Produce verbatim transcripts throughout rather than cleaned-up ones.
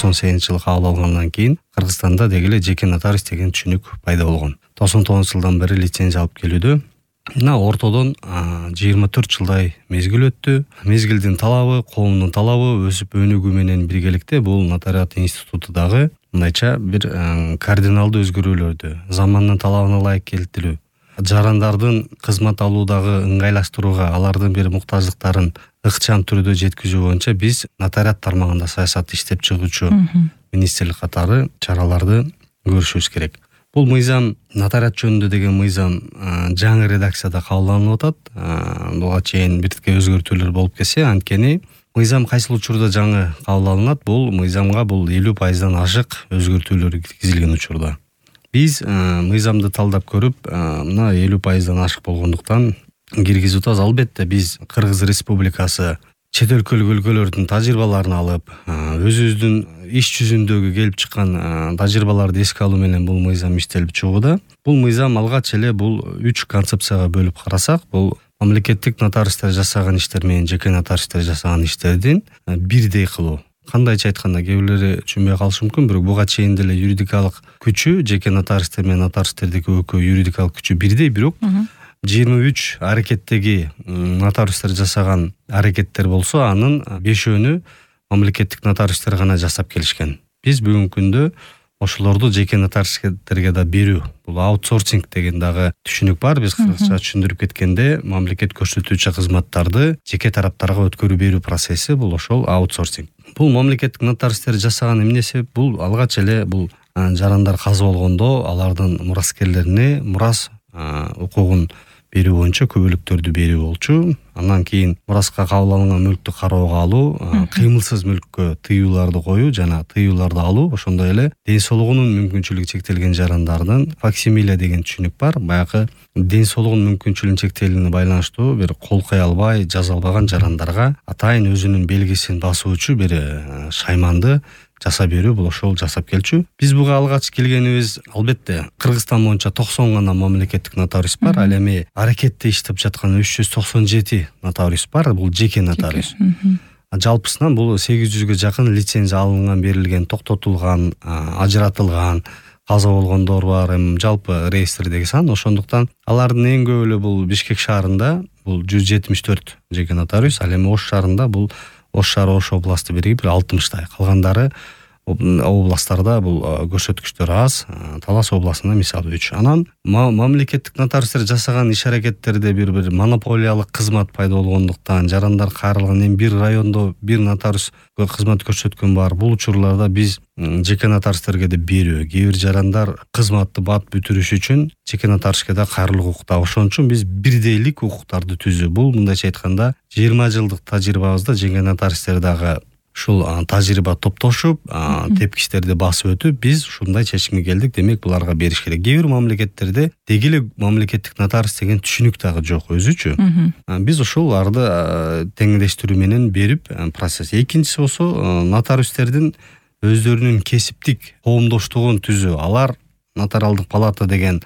токсон сегизинчи жылы кабыл алгандан кийин Кыргызстанда деги эле жеке нотариус деген түшүнүк пайда болгон. токсон тогузунчу жылдан бери лицензия алып келүүдө. Мына ортодон жыйырма төрт жылдай мезгил өттү. Мезгилдин талабы, коомдун талабы өсүп өнүгүү менен биргеликте бул нотариат институту дагы мындайча бир кардиналдуу өзгөрүүлөрдү, замандын талабына ылайык келтирүү, жарандардын кызмат алуудагы ыңгайлаштырууга, алардын бир муктаждыктарын ыкчам түрдө жеткизүү боюнча биз нотариат тармагында саясат иштеп чыгуучу министрлик катары чараларды көрүшүбүз керек. Бул мыйзам нотариат жөнүндө деген мыйзам жаңы редакцияда кабылданып атат. Буга чейин биртикке өзгөртүүлөр болуп келсе, анткени мыйзам кайсыл учурда жаңы кабыл алынат, бул мыйзамга бул элүү пайыздан ашык өзгөртүүлөр киргизилген учурда. Биз мыйзамды талдап көрүп, мына элүү пайыздан ашык болгондуктан киргизип атабыз. Албетте биз Кыргыз Республикасы чет өлкөлүк өлкөлөрдүн тажрыйбаларын алып, өзүбүздүн иш жүзүндөгү келип чыккан тажрыйбаларды эске алуу менен бул мыйзам иштелип чыгууда. Бул мыйзам алгач эле бул үч концепцияга бөлүп карасак, бул мамлекеттик нотариустар жасаган иштер менен жеке нотариустар жасаган иштердин бирдей кылуу. Кандайча айтканда, кээ бирлери түшүнбөй калышы мүмкүн, бирок буга чейин деле юридикалык күчү жеке нотариустар менен нотариустердики экөө юридикалык күчү бирдей, бирок жыйырма үч аракеттеги нотариустар жасаган аракеттер болсо, анын бешөөнү мамлекеттик нотариустар гана жасап келишкен. Биз бүгүнкү күндө ошолорду жеке нотариустерге да берүү, бул аутсорсинг деген дагы түшүнүк бар. Биз кыргызча түшүндүрүп кеткенде, мамлекет көрсөтүүчү кызматтарды жеке тараптарга өткөрүп берүү процесси, бул ошол аутсорсинг. Бул мамлекеттик нотариустер жасаган эмне себеп? Бул алгач эле бул жарандар каза болгондо алардын мураскерлерине мурас укугун берүү боюнча күбөлүктөрдү берүү болчу. Андан кийин мураска кабыл алынган мүлктү кароого алуу, кыймылсыз мүлккө тыюуларды коюу жана тыюуларды алуу, ошондой эле ден соолугунун мүмкүнчүлүгү чектелген жарандардын факсимиле деген түшүнүк бар. Баягы ден соолугунун мүмкүнчүлүгүнүн чектелүүнү байланыштуу бир кол кое албай, жаза албаган жарандарга атайын өзүнүн белгисин басуучу бир шайманды жасап берүү, бул ошол жасап келчү. Биз буга алгач келгенибиз, албетте Кыргызстан боюнча токсон гана мамлекеттик нотариус бар, ал эми аракетте иштеп жаткан үч жүз токсон жети нотариус бар, бул жеке нотариус. Жалпысынан бул сегиз жүзгө жакын лицензия алынган, берилген, токтотулган, ажыратылган, каза болгондор бар, эми жалпы реестрдеги сан. Ошондуктан алардын эң көбү эле бул Бишкек шаарында бул жүз жетимиш төрт жеке нотариус, ал эми Ош шаарында бул Ош шаары, Ош областы биригип алтымыштай. Калгандары областтарда бул көрсөткүчтөр аз. Талас областында мисалы үч. Анан мамлекеттик нотариустар жасаган иш аракеттерде бир бир монополиялык кызмат пайда болгондуктан жарандар кайрылган, эми бир райондо бир нотариус кызмат көрсөткөн бар. Бул учурларда биз жеке нотариустерге да берүү, кээ бир жарандар кызматты бат бүтүрүш үчүн жеке нотариуске да кайрылуу укукта. Ошон үчүн биз бирдейлик укуктарды түзүү. Бул мындайча айтканда жыйырма жылдык тажрыйбабызда жеке нотариустер дагы ушул тажрыйба топтошуп, тепкичтерди басып өтүп, биз ушундай чечимге келдик. Демек, буларга бериш керек. Кээ бир мамлекеттерде деги эле мамлекеттик нотариус деген түшүнүк дагы жок өзүчү. Биз ушуларды теңдештирүү менен берип процесс. Экинчиси болсо, нотариустердин өздөрүнүн кесиптик коомдоштугун түзүү. Алар нотариалдык палата деген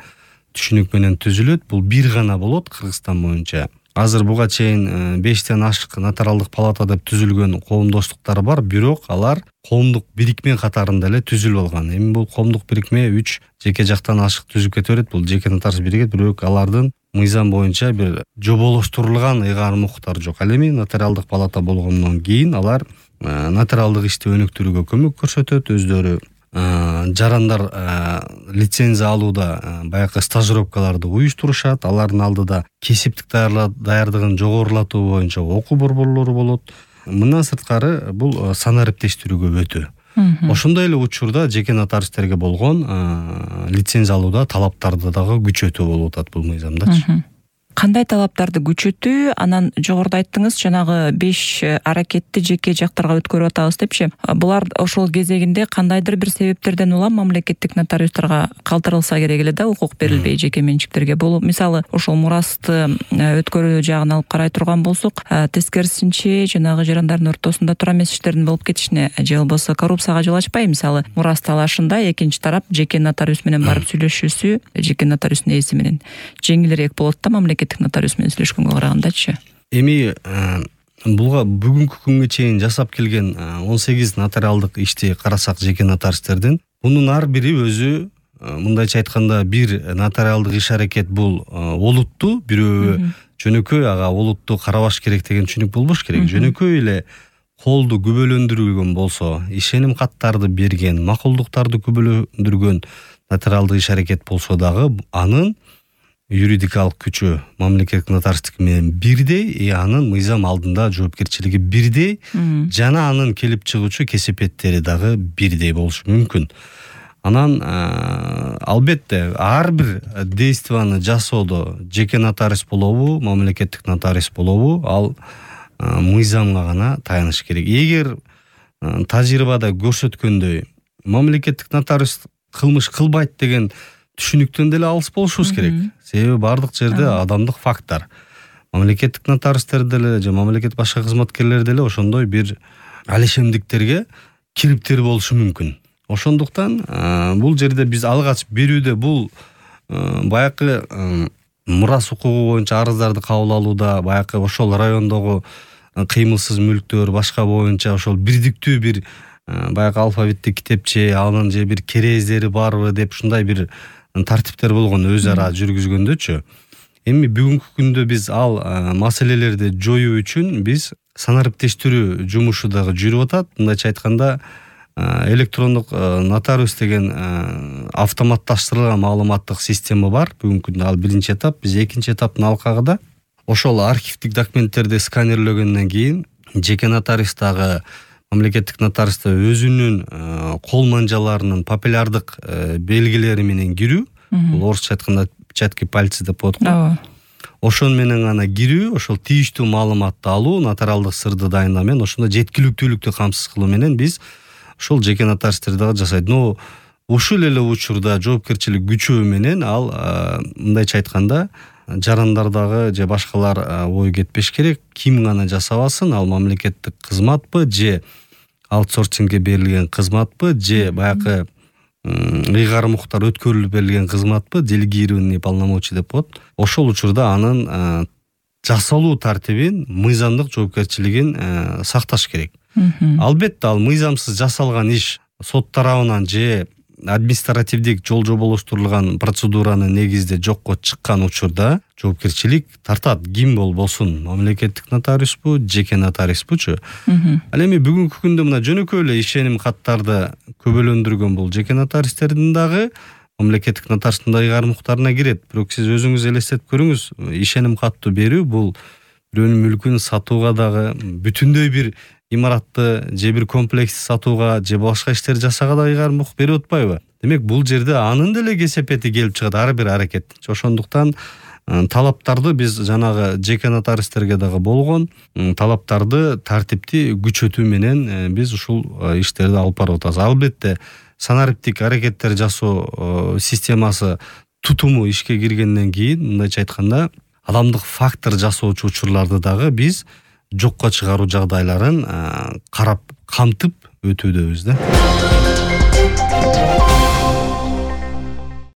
түшүнүк менен түзүлөт. Бул бир гана болот Кыргызстан боюнча. Азыр буга чейин бештен ашык нотариалдык палата деп түзүлгөн коомдоштуктар бар, бирок алар коомдук бирикме катарында эле түзүлүп алган. Эми бул коомдук бирикме үч жеке жактан ашык түзүп кете берет. Бул жеке нотариус биригет, бирок алардын мыйзам боюнча бир жоболоштурулган ыйгарым укуктары жок. Ал эми нотариалдык палата болгондон кийин алар нотариалдык ишти өнүктүрүүгө көмөк көрсөтөт, өздөрү жарандар лицензия алууда баягы стажировкаларды уюштурушат. Алардын алдыда кесиптик даярдыгын жогорулатуу боюнча окуу борборлору болот. Мындан сырткары бул санариптештирүүгө өтүү. Ошондой эле учурда жеке нотариустерге болгон лицензия алууда талаптарды дагы күчөтүү болуп атат бул мыйзамдачы. Кандай талаптарды күчөтүү? Анан жогоруда айттыңыз, жанагы беш аракетти жеке жактарга өткөрүп атабыз депчи. Булар ошол кезегинде кандайдыр бир себептерден улам мамлекеттик нотариустарга калтырылса керек эле да, укук берилбей жеке менчиктерге. Бул мисалы ошол мурасты өткөрүү жагын алып карай турган болсок, тескерисинче жанагы жарандардын ортосунда туура эмес иштердин болуп кетишине же болбосо коррупцияга жол ачпайбы? Мисалы мурас талашында экинчи тарап жеке нотариус менен барып сүйлөшүүсү жеке нотариустун ээси менен жеңилирээк болот да мамлекет нотариус менен сүйлөшкөнгө карагандачы. Эми буга бүгүнкү күнгө чейин жасап келген он сегиз нотариалдык ишти карасак жеке нотариустердин, мунун ар бири өзү, мындайча айтканда, бир нотариалдык иш аракет бул олуттуу, бирөө жөнөкөй ага олутту карабаш керек деген түшүнүк болбош керек. Жөнөкөй эле колду күбөлөндүргөн болсо, ишеним каттарды берген, макулдуктарды күбөлөндүргөн нотариалдык иш аракет болсо дагы анын юридикалык күчү мамлекеттик нотариустук менен бирдей, и анын мыйзам алдында жоопкерчилиги бирдей, жана анын келип чыгуучу кесепеттери дагы бирдей болушу мүмкүн. Анан албетте ар бир действияны жасоодо жеке нотариус болобу, мамлекеттик нотариус болобу, ал мыйзамга гана таяныш керек. Эгер тажрыйбада көрсөткөндөй мамлекеттик нотариус кылмыш кылбайт деген түшүнүктөн деле алыс болушубуз керек. Себеби бардык жерде адамдык факттар. Мамлекеттик нотариустер деле же мамлекет башка кызматкерлер деле ошондой бир алишемдиктерге кириптер болушу мүмкүн. Ошондуктан бул жерде биз алгач берүүдө бул баягы мурас укугу боюнча арыздарды кабыл алууда, баягы ошол райондогу кыймылсыз мүлктөр башка боюнча ошол бирдиктүү бир баягы алфавиттик китепче, анын же бир керездери барбы деп ушундай бир тартиптер болгон өз ара жүргүзгөндөчү. Эми бүгүнкү күндө биз ал маселелерди жоюу үчүн биз санариптештирүү жумушу дагы жүрүп атат. Мындайча айтканда, электрондук нотариус деген автоматташтырылган маалыматтык система бар. Бүгүнкү күндө ал биринчи этап, биз экинчи этаптын алкагында ошол архивдик документтерди сканерлөгөндөн кийин жеке нотариус дагы мамлекеттик нотариус да өзүнүн кол манжаларынын популярдык белгилери менен кирүү, бул орусча айтканда печатки пальца деп коет го. Ошон менен гана кирүү, ошол тийиштүү маалыматты алуу, нотариалдык сырды дайындоо менен ошондо жеткиликтүүлүктү камсыз кылуу менен биз ошол жеке нотариустер дагы жасайт. Но ушул эле учурда жоопкерчилик күчөө менен ал, мындайча айтканда, жарандардагы же башкалар ой кетпеш керек. Ким гана жасабасын, ал мамлекеттик кызматпы же аутсорсингге берилген кызматпы же баягы ыйгар муктар өткөрүлүп берилген кызматпы, делегированный полномочий деп коет. Ошол учурда анын жасалуу тартибин, мыйзамдык жоопкерчилигин сакташ керек. Албетте ал мыйзамсыз жасалган иш сот тарабынан же административдик жол жоболоштурулган процедуранын негизинде жокко чыккан учурда жоопкерчилик тартат. Ким болбосун, мамлекеттик нотариуспу, жеке нотариуспучу. Ал эми бүгүнкү күндө мына жөнөкөй эле ишеним каттарды көбөлөндүргөн бул жеке нотариустердин дагы мамлекеттик нотариустун да ыйгар муктарына кирет. Бирок сиз өзүңүз элестетип көрүңүз, ишеним каттуу берүү бул бирөөнүн мүлкүн сатууга дагы, бүтүндөй бир имаратты же бир комплексти сатууга же башка иштер жасаага да ыйгар мук берип атпайбы? Демек бул жерде анын деле кесепети келип чыгат ар бир аракет. Ошондуктан талаптарды биз жанагы жеке нотариустерге дагы болгон талаптарды тартипти күчөтүү менен биз ушул иштерди алып барып атабыз. Албетте санариптик аракеттер жасоо системасы тутуму ишке киргенден кийин, мындайча айтканда, адамдык фактор жасоочу учурларды дагы биз жокко чыгаруу жагдайларын карап камтып өтүүдөбүз да.